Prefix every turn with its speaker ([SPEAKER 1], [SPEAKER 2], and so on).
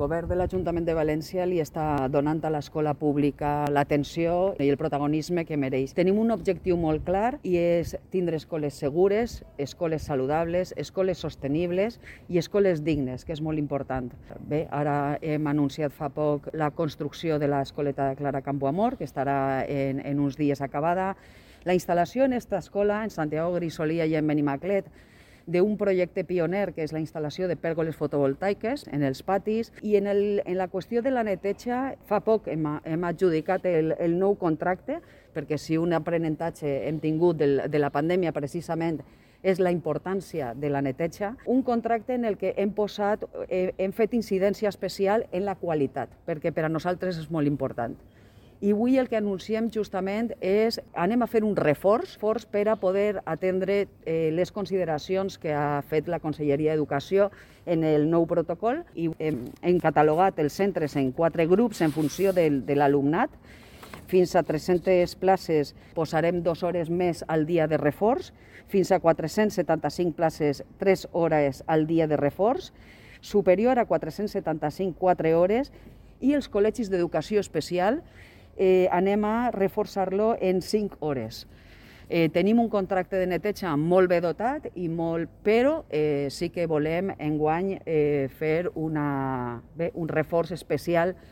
[SPEAKER 1] El govern de l'Ajuntament de València li està donant a l'escola pública l'atenció i el protagonisme que mereix. Tenim un objectiu molt clar i és tindre escoles segures, escoles saludables, escoles sostenibles i escoles dignes, que és molt important. Bé, ara hem anunciat fa poc la construcció de l'escoleta de Clara Campoamor, que estarà en uns dies acabada. La instal·lació en aquesta escola, en Santiago Grisolia i en Benimaclet, d'un projecte pioner, que és la instal·lació de pèrgoles fotovoltaiques en els patis. I en la qüestió de la neteja, fa poc hem adjudicat el nou contracte, perquè si un aprenentatge hem tingut de la pandèmia precisament és la importància de la neteja, un contracte en el que hem fet incidència especial en la qualitat, perquè per a nosaltres és molt important. I avui el que anunciem justament és anem a fer un reforç per a poder atendre les consideracions que ha fet la Conselleria d'Educació en el nou protocol i hem catalogat els centres en 4 grups en funció de l'alumnat. Fins a 300 places posarem 2 hores més al dia de reforç, fins a 475 places 3 hores al dia de reforç, superior a 475 4 hores, i els col·legis d'educació especial anem a reforçar-lo en 5 hores. Tenim un contracte de neteja molt bé dotat, però sí que volem enguany fer un reforç especial